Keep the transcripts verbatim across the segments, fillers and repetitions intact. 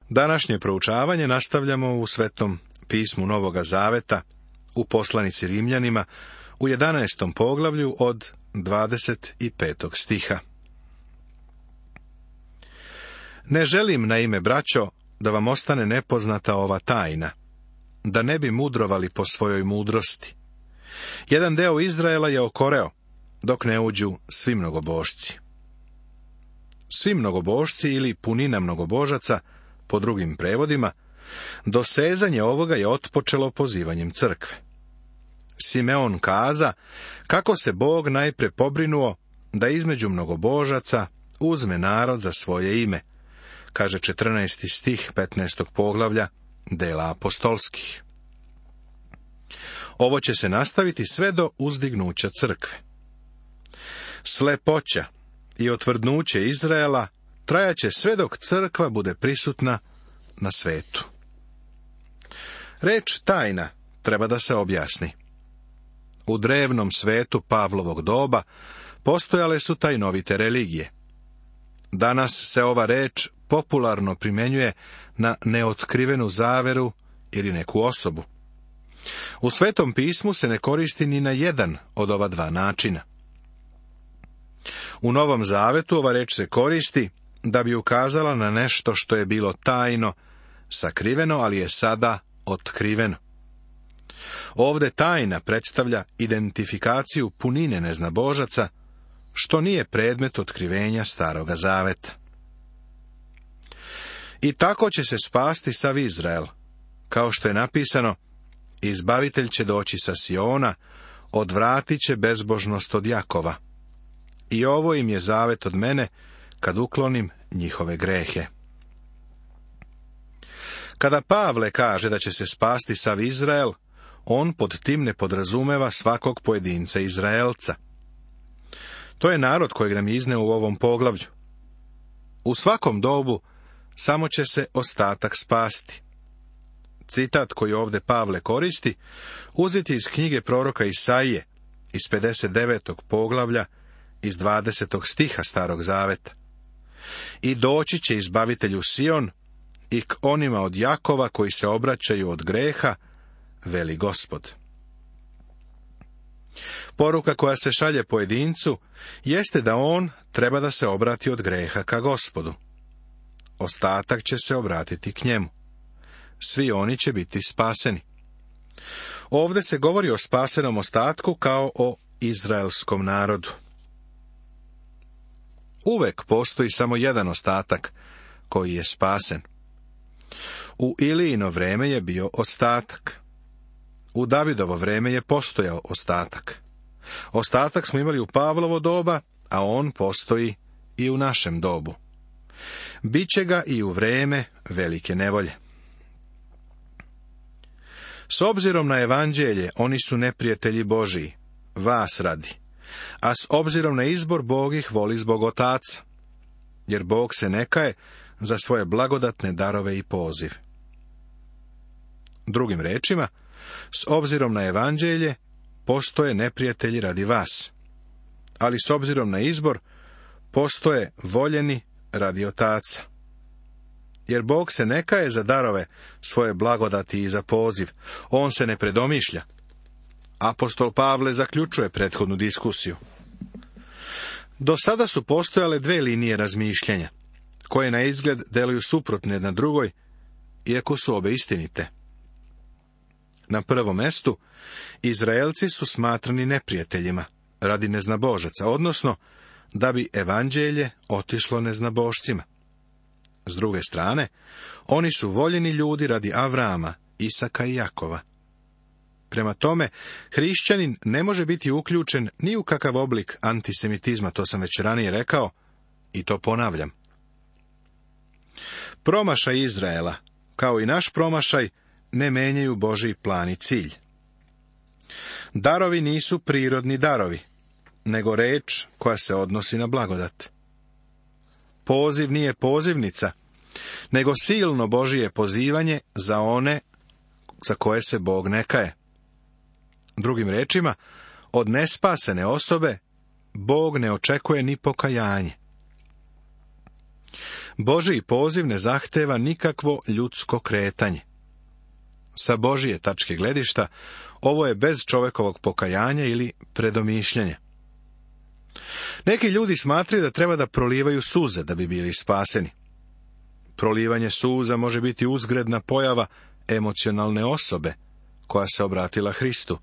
Današnje proučavanje nastavljamo u Svetom pismu Novoga Zaveta, u poslanici Rimljanima, u jedanaestom poglavlju od dvadeset petog stiha. Ne želim, naime, braćo, da vam ostane nepoznata ova tajna, da ne bi mudrovali po svojoj mudrosti. Jedan deo Izraela je okoreo, dok ne uđu svi mnogobožci. Svi mnogobožci ili punina mnogobožaca, po drugim prevodima, dosezanje ovoga je otpočelo pozivanjem crkve. Simeon kaza kako se Bog najpre pobrinuo da između mnogobožaca uzme narod za svoje ime, kaže četrnaesti stih petnaestog poglavlja dela apostolskih. Ovo će se nastaviti sve do uzdignuća crkve. Slepoća i otvrdnuće Izraela trajaće sve dok crkva bude prisutna na svetu. Reč tajna treba da se objasni. U drevnom svetu Pavlovog doba postojale su tajnovite religije. Danas se ova reč popularno primjenjuje na neotkrivenu zaveru ili neku osobu. U Svetom pismu se ne koristi ni na jedan od ova dva načina. U Novom Zavetu ova reč se koristi da bi ukazala na nešto što je bilo tajno, sakriveno, ali je sada otkriveno. Ovde tajna predstavlja identifikaciju punine neznabožaca, što nije predmet otkrivenja Staroga Zaveta. I tako će se spasti sav Izrael, kao što je napisano, izbavitelj će doći sa Siona, odvratit će bezbožnost od Jakova. I ovo im je zavet od mene, kad uklonim njihove grehe. Kada Pavle kaže da će se spasti sav Izrael, on pod tim ne podrazumeva svakog pojedinca Izraelca. To je narod kojeg nam je izneo u ovom poglavlju. U svakom dobu samo će se ostatak spasti. Citat koji ovde Pavle koristi, uzet je iz knjige proroka Isaije, iz pedeset devetog poglavlja, iz dvadesetog stiha Starog Zaveta. I doći će izbavitelju Sion i k onima od Jakova koji se obraćaju od greha, veli Gospod. Poruka koja se šalje pojedincu jeste da on treba da se obrati od greha ka Gospodu. Ostatak će se obratiti k njemu. Svi oni će biti spaseni. Ovde se govori o spasenom ostatku kao o izraelskom narodu. Uvek postoji samo jedan ostatak koji je spasen. U Ilijino vreme je bio ostatak. U Davidovo vreme je postojao ostatak. Ostatak smo imali u Pavlovo doba, a on postoji i u našem dobu. Biće ga i u vreme velike nevolje. S obzirom na evanđelje, oni su neprijatelji Božiji, vas radi, a s obzirom na izbor, Bog ih voli zbog Otaca, jer Bog se ne kaje za svoje blagodatne darove i poziv. Drugim rečima, s obzirom na evanđelje, postoje neprijatelji radi vas, ali s obzirom na izbor, postoje voljeni radi Otaca. Jer Bog se ne kaje za darove svoje blagodati i za poziv, on se ne predomišlja. Apostol Pavle zaključuje prethodnu diskusiju. Do sada su postojale dve linije razmišljanja, koje na izgled deluju suprotne jedna drugoj, iako su obe istinite. Na prvom mestu, Izraelci su smatrani neprijateljima radi neznabožaca, odnosno da bi evanđelje otišlo neznabošcima. S druge strane, oni su voljeni ljudi radi Avrama, Isaka i Jakova. Prema tome, hrišćanin ne može biti uključen ni u kakav oblik antisemitizma, to sam već ranije rekao, i to ponavljam. Promašaj Izraela, kao i naš promašaj, ne menjaju Božji plan i cilj. Darovi nisu prirodni darovi, nego reč koja se odnosi na blagodat. Poziv nije pozivnica, nego silno Božije pozivanje za one za koje se Bog ne kaje. Drugim rečima, od nespasene osobe Bog ne očekuje ni pokajanje. Božji poziv ne zahteva nikakvo ljudsko kretanje. Sa Božje tačke gledišta, ovo je bez čovjekovog pokajanja ili predomišljanja. Neki ljudi smatraju da treba da prolivaju suze da bi bili spaseni. Prolivanje suza može biti uzgredna pojava emocionalne osobe koja se obratila Hristu,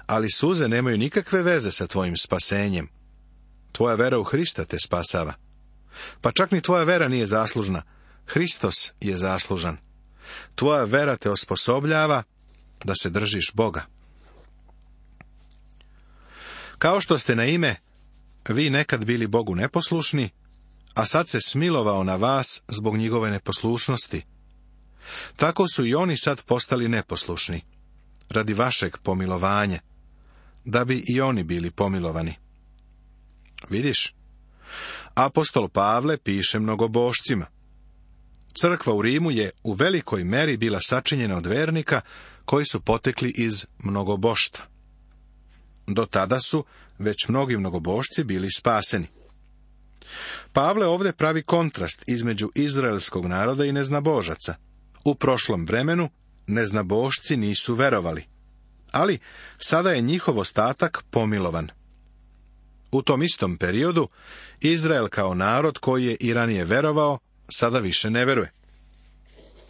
ali suze nemaju nikakve veze sa tvojim spasenjem. Tvoja vera u Hrista te spasava. Pa čak ni tvoja vera nije zaslužna. Hristos je zaslužan. Tvoja vera te osposobljava da se držiš Boga. Kao što ste na ime, vi nekad bili Bogu neposlušni, a sad se smilovao na vas zbog njegove neposlušnosti. Tako su i oni sad postali neposlušni, radi vašeg pomilovanja, da bi i oni bili pomilovani. Vidiš, apostol Pavle piše mnogobošcima. Crkva u Rimu je u velikoj meri bila sačinjena od vernika koji su potekli iz mnogoboštva. Do tada su već mnogi mnogobošci bili spaseni. Pavle ovdje pravi kontrast između izraelskog naroda i neznabožaca. U prošlom vremenu neznabošci nisu verovali, ali sada je njihov ostatak pomilovan. U tom istom periodu Izrael kao narod koji je i ranije verovao, sada više ne veruje.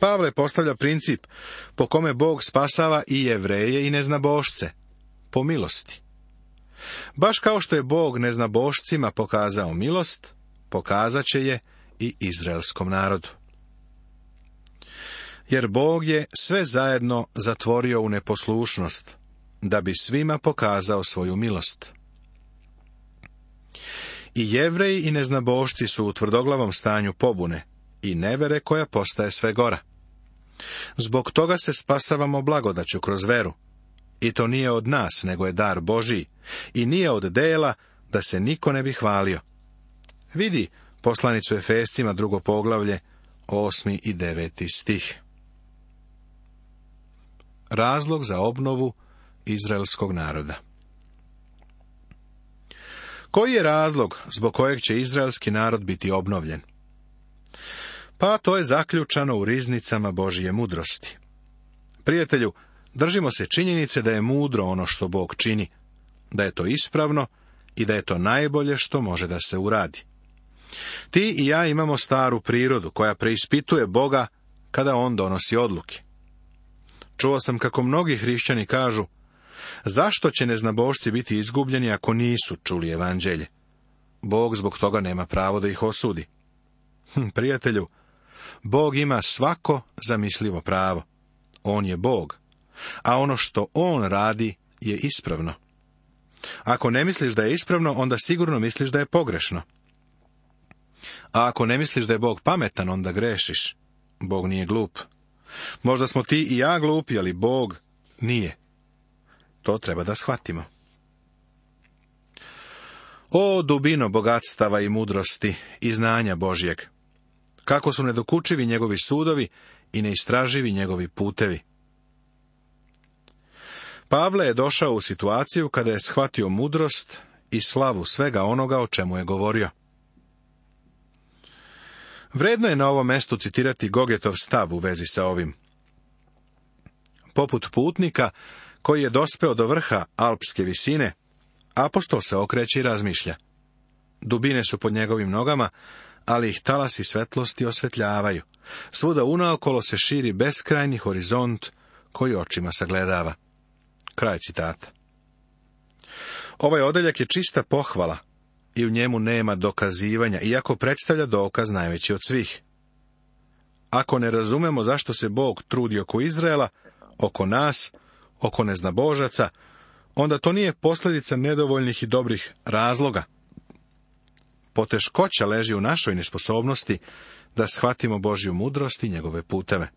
Pavle postavlja princip po kome Bog spasava i Jevreje i neznabošce, po milosti. Baš kao što je Bog neznabošcima pokazao milost, pokazat će je i izraelskom narodu. Jer Bog je sve zajedno zatvorio u neposlušnost, da bi svima pokazao svoju milost. I Jevreji i neznabošci su u tvrdoglavom stanju pobune i nevere koja postaje sve gora. Zbog toga se spasavamo blagodaću kroz veru. I to nije od nas, nego je dar Božiji, i nije od dela, da se niko ne bi hvalio. Vidi poslanicu Efescima, drugo poglavlje, osmi i deveti stih. Razlog za obnovu izraelskog naroda. Koji je razlog zbog kojeg će izraelski narod biti obnovljen? Pa to je zaključano u riznicama Božje mudrosti. Prijatelju, držimo se činjenice da je mudro ono što Bog čini, da je to ispravno i da je to najbolje što može da se uradi. Ti i ja imamo staru prirodu koja preispituje Boga kada on donosi odluke. Čuo sam kako mnogi hrišćani kažu, zašto će neznabošci biti izgubljeni ako nisu čuli evanđelje? Bog zbog toga nema pravo da ih osudi. Hm, prijatelju, Bog ima svako zamislivo pravo. On je Bog, a ono što on radi je ispravno. Ako ne misliš da je ispravno, onda sigurno misliš da je pogrešno. A ako ne misliš da je Bog pametan, onda grešiš. Bog nije glup. Možda smo ti i ja glupi, ali Bog nije. To treba da shvatimo. O dubino bogatstava i mudrosti i znanja Božjeg! Kako su nedokučivi njegovi sudovi i neistraživi njegovi putevi. Pavle je došao u situaciju kada je shvatio mudrost i slavu svega onoga o čemu je govorio. Vredno je na ovom mestu citirati Gogetov stav u vezi sa ovim. Poput putnika koji je dospeo do vrha alpske visine, apostol se okreće i razmišlja. Dubine su pod njegovim nogama, ali ih talasi svetlosti osvetljavaju. Svuda unaokolo se širi beskrajni horizont koji očima sagledava. Kraj citata. Ovaj odeljak je čista pohvala i u njemu nema dokazivanja, iako predstavlja dokaz najveći od svih. Ako ne razumemo zašto se Bog trudi oko Izraela, oko nas, oko neznabožaca, onda to nije posljedica nedovoljnih i dobrih razloga. Poteškoća leži u našoj nesposobnosti da shvatimo Božju mudrost i njegove puteve.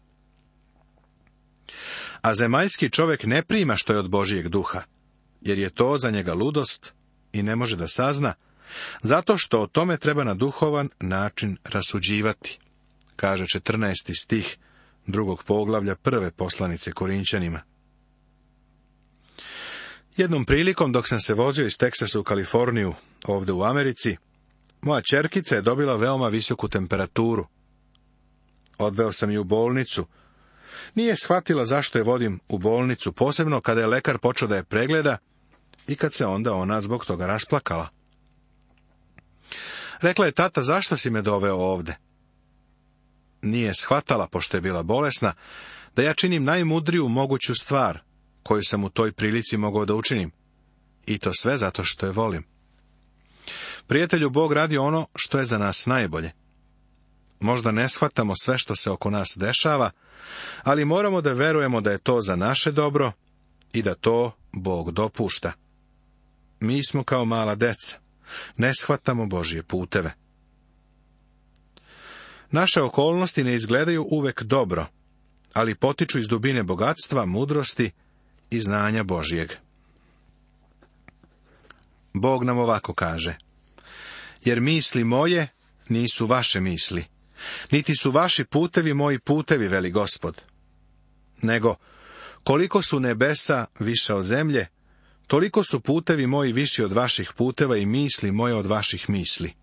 A zemaljski čovjek ne prima što je od Božijeg duha, jer je to za njega ludost i ne može da sazna, zato što o tome treba na duhovan način rasuđivati, kaže četrnaesti stih drugog poglavlja prve poslanice Korinćanima. Jednom prilikom, dok sam se vozio iz Teksasa u Kaliforniju, ovdje u Americi, moja ćerkica je dobila veoma visoku temperaturu Odveo sam ju u bolnicu. Nije shvatila zašto je vodim u bolnicu, posebno kada je lekar počeo da je pregleda i kad se onda ona zbog toga rasplakala. Rekla je: tata, zašto si me doveo ovde? Nije shvatala, pošto je bila bolesna, da ja činim najmudriju moguću stvar koju sam u toj prilici mogao da učinim. I to sve zato što je volim. Prijatelju, Bog radi ono što je za nas najbolje. Možda ne shvatamo sve što se oko nas dešava, ali moramo da verujemo da je to za naše dobro i da to Bog dopušta. Mi smo kao mala deca. Ne shvatamo Božje puteve. Naše okolnosti ne izgledaju uvek dobro, ali potiču iz dubine bogatstva, mudrosti i znanja Božjeg. Bog nam ovako kaže: jer misli moje nisu vaše misli, niti su vaši putevi moji putevi, veli Gospod. Nego, koliko su nebesa više od zemlje, toliko su putevi moji viši od vaših puteva i misli moje od vaših misli.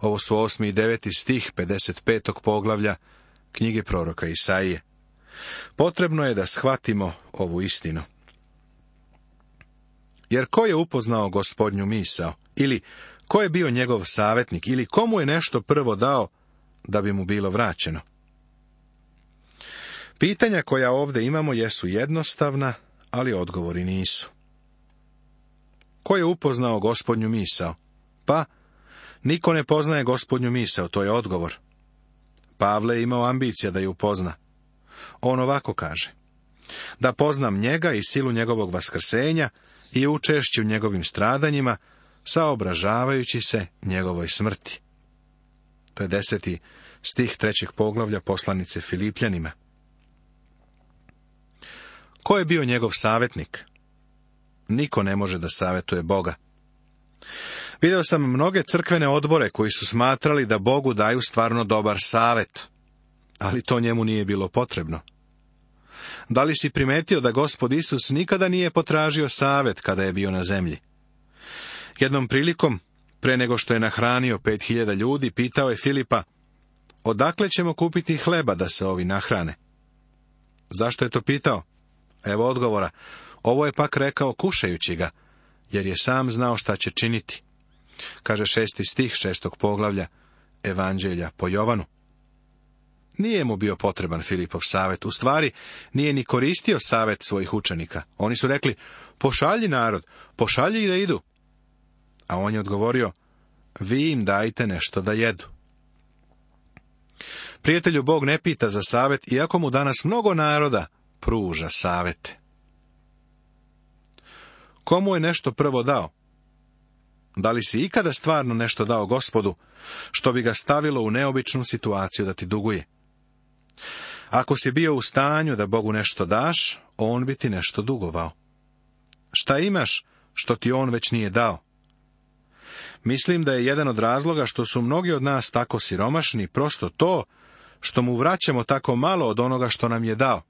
Ovo su osmi i deveti stih pedeset petog poglavlja knjige proroka Isaije. Potrebno je da shvatimo ovu istinu. Jer ko je upoznao Gospodnju misao, ili ko je bio njegov savjetnik, ili komu je nešto prvo dao da bi mu bilo vraćeno? Pitanja koja ovdje imamo jesu jednostavna, ali odgovori nisu. Ko je upoznao Gospodnju misao? Pa, niko ne poznaje Gospodnju misao, to je odgovor. Pavle je imao ambicija da ju upozna. On ovako kaže: da poznam njega i silu njegovog vaskrsenja i učešću njegovim stradanjima, saobražavajući se njegovoj smrti. To je deseti stih trećeg poglavlja poslanice Filipljanima. Ko je bio njegov savjetnik? Niko ne može da savjetuje Boga. Video sam mnoge crkvene odbore koji su smatrali da Bogu daju stvarno dobar savjet, ali to njemu nije bilo potrebno. Da li si primetio da Gospod Isus nikada nije potražio savjet kada je bio na zemlji? Jednom prilikom, pre nego što je nahranio pet hiljada ljudi, pitao je Filipa: odakle ćemo kupiti hleba da se ovi nahrane? Zašto je to pitao? Evo odgovora: ovo je pak rekao kušajući ga, jer je sam znao šta će činiti. Kaže šesti stih šestog poglavlja Evanđelja po Jovanu. Nije mu bio potreban Filipov savjet, u stvari nije ni koristio savjet svojih učenika. Oni su rekli: pošalji narod, pošalji ih da idu. A on je odgovorio: vi im dajte nešto da jedu. Prijatelju, Bog ne pita za savjet, iako mu danas mnogo naroda pruža savjete. Komu je nešto prvo dao? Da li si ikada stvarno nešto dao Gospodu, što bi ga stavilo u neobičnu situaciju da ti duguje? Ako si bio u stanju da Bogu nešto daš, on bi ti nešto dugovao. Šta imaš što ti on već nije dao? Mislim da je jedan od razloga što su mnogi od nas tako siromašni prosto to što mu vraćamo tako malo od onoga što nam je dao.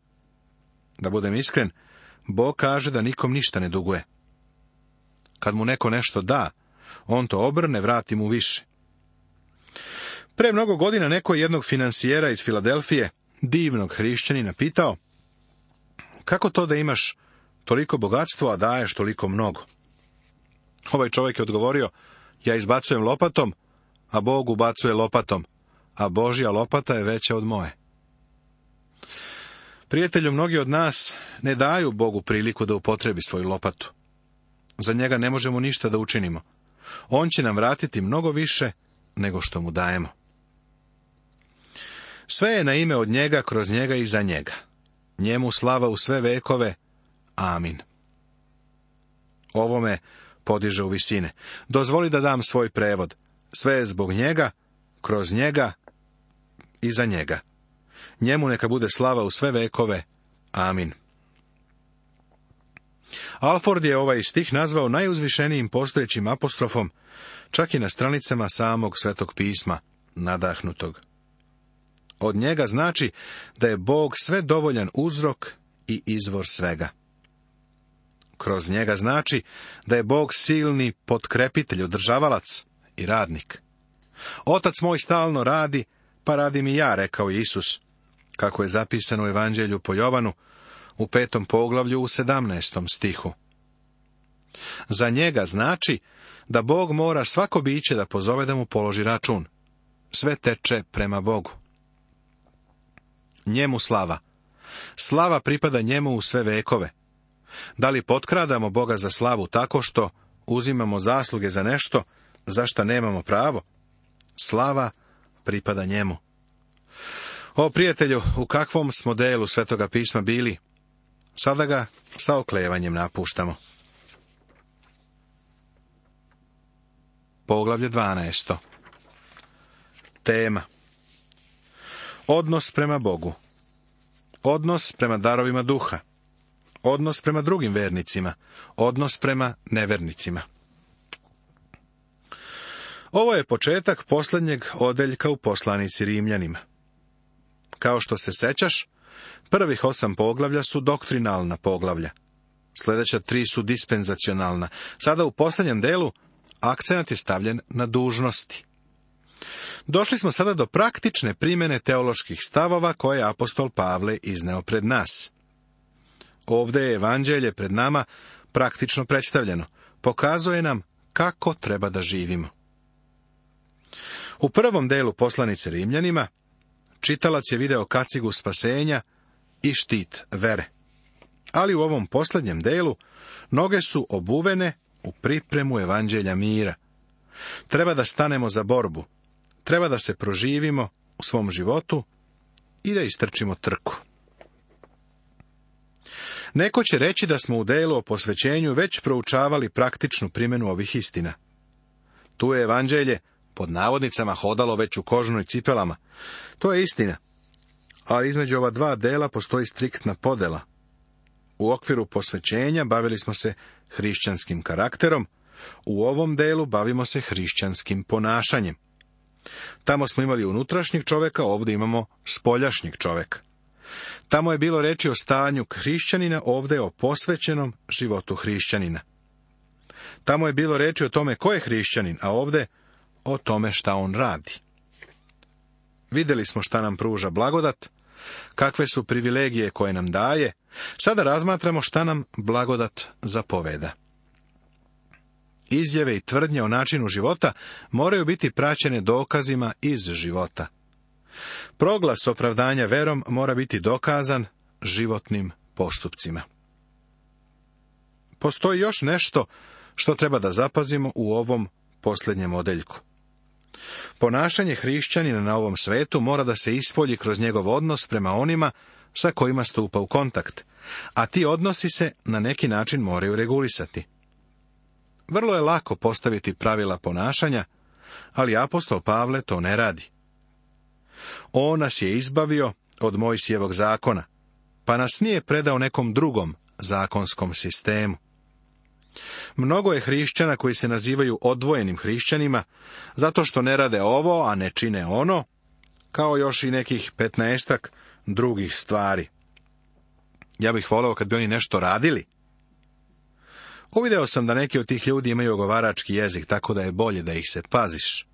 Da budem iskren, Bog kaže da nikom ništa ne duguje. Kad mu neko nešto da, on to obrne, vrati mu više. Pre mnogo godina neko je jednog finansijera iz Filadelfije, divnog hrišćanina, pitao: kako to da imaš toliko bogatstvo, a daješ toliko mnogo? Ovaj čovjek je odgovorio: ja izbacujem lopatom, a Bog ubacuje lopatom, a Božja lopata je veća od moje. Prijatelju, mnogi od nas ne daju Bogu priliku da upotrebi svoju lopatu. Za njega ne možemo ništa da učinimo. On će nam vratiti mnogo više nego što mu dajemo. Sve je na ime od njega, kroz njega i za njega. Njemu slava u sve vekove. Amin. Ovo me podiže u visine. Dozvoli da dam svoj prevod. Sve je zbog njega, kroz njega i za njega. Njemu neka bude slava u sve vekove. Amin. Alford je ovaj stih nazvao najuzvišenijim postojećim apostrofom, čak i na stranicama samog Svetog pisma, nadahnutog. Od njega znači da je Bog sve dovoljan uzrok i izvor svega. Kroz njega znači da je Bog silni potkrepitelj, održavalac i radnik. Otac moj stalno radi, Pa radim i ja, rekao je Isus, kako je zapisano u Evanđelju po Jovanu, u petom poglavlju u sedamnaestom stihu. Za njega znači da Bog mora svako biće da pozove da mu položi račun. Sve teče prema Bogu. Njemu slava. Slava pripada njemu u sve vekove. Da li potkradamo Boga za slavu tako što uzimamo zasluge za nešto za šta nemamo pravo? Slava pripada njemu. O prijatelju, u kakvom smo delu Svetoga pisma bili? Sada ga sa oklevanjem napuštamo. Poglavlje dvanaesto. Tema. Odnos prema Bogu. Odnos prema darovima duha. Odnos prema drugim vernicima. Odnos prema nevernicima. Ovo je početak posljednjeg odeljka u poslanici Rimljanima. Kao što se sećaš, prvih osam poglavlja su doktrinalna poglavlja. Sljedeća tri su dispenzacionalna. Sada u posljednjem delu akcenat je stavljen na dužnosti. Došli smo sada do praktične primjene teoloških stavova koje je apostol Pavle izneo pred nas. Ovdje je evanđelje pred nama praktično predstavljeno. Pokazuje nam kako treba da živimo. U prvom delu poslanice Rimljanima čitalac je video kacigu spasenja i štit vere. Ali u ovom posljednjem delu noge su obuvene u pripremu evanđelja mira. Treba da stanemo za borbu. Treba da se proživimo u svom životu i da istrčimo trku. Neko će reći da smo u delu o posvećenju već proučavali praktičnu primjenu ovih istina. Tu je evanđelje pod navodnicama hodalo već u kožnoj cipelama. To je istina. Ali između ova dva dela postoji striktna podela. U okviru posvećenja bavili smo se hrišćanskim karakterom, u ovom delu bavimo se hrišćanskim ponašanjem. Tamo smo imali unutrašnjeg čovjeka, ovdje imamo spoljašnjeg čovjeka. Tamo je bilo reči o stanju hrišćanina, ovdje o posvećenom životu hrišćanina. Tamo je bilo reči o tome ko je hrišćanin, a ovdje o tome šta on radi. Vidjeli smo šta nam pruža blagodat, kakve su privilegije koje nam daje, sada razmatramo šta nam blagodat zapoveda. Izjave i tvrdnje o načinu života moraju biti praćene dokazima iz života. Proglas opravdanja verom mora biti dokazan životnim postupcima. Postoji još nešto što treba da zapazimo u ovom posljednjem odeljku. Ponašanje hrišćanina na ovom svetu mora da se ispolji kroz njegov odnos prema onima sa kojima stupa u kontakt, a ti odnosi se na neki način moraju regulisati. Vrlo je lako postaviti pravila ponašanja, ali apostol Pavle to ne radi. On nas je izbavio od Mojsijevog zakona, pa nas nije predao nekom drugom zakonskom sistemu. Mnogo je hrišćana koji se nazivaju odvojenim hrišćanima, zato što ne rade ovo, a ne čine ono, kao još i nekih petnaestak drugih stvari. Ja bih voleo kad bi oni nešto radili. Uvideo sam da neki od tih ljudi imaju ogovarački jezik, tako da je bolje da ih se paziš.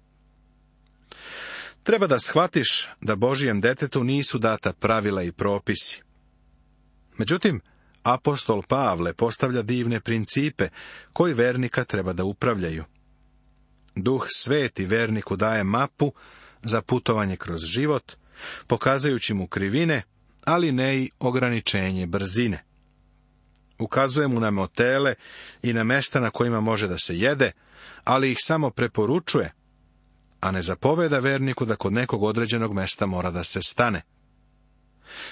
Treba da shvatiš da Božijem detetu nisu data pravila i propisi. Međutim, apostol Pavle postavlja divne principe koji vernika treba da upravljaju. Duh Sveti verniku daje mapu za putovanje kroz život, pokazujući mu krivine, ali ne i ograničenje brzine. Ukazuje mu na motele i na mesta na kojima može da se jede, ali ih samo preporučuje, a ne zapoveda verniku da kod nekog određenog mesta mora da se stane.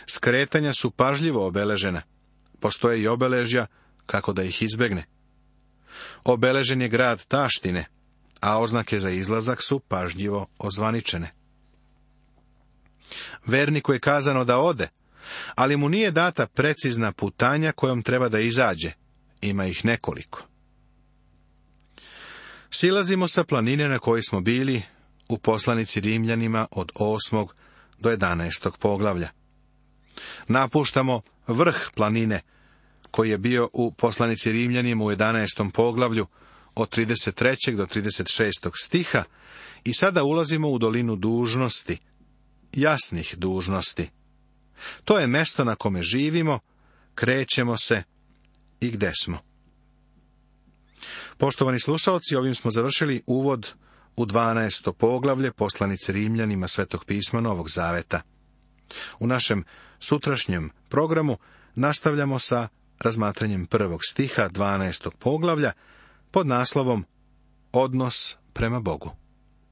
Skretanja su pažljivo obeležena. Postoje i obeležja kako da ih izbegne. Obeležen je grad taštine, a oznake za izlazak su pažljivo ozvaničene. Verniku je kazano da ode, ali mu nije data precizna putanja kojom treba da izađe. Ima ih nekoliko. Silazimo sa planine na kojoj smo bili u poslanici Rimljanima od osmog do jedanaestog poglavlja. Napuštamo vrh planine koji je bio u poslanici Rimljanima u jedanaestom poglavlju od trideset trećeg do trideset šestog stiha i sada ulazimo u dolinu dužnosti, jasnih dužnosti. To je mesto na kome živimo, krećemo se i gde smo. Poštovani slušalci, ovim smo završili uvod u dvanaesto poglavlje poslanice Rimljanima Svetog pisma Novog Zaveta. U našem sutrašnjem programu nastavljamo sa razmatranjem prvog stiha dvanaestog poglavlja pod naslovom Odnos prema Bogu.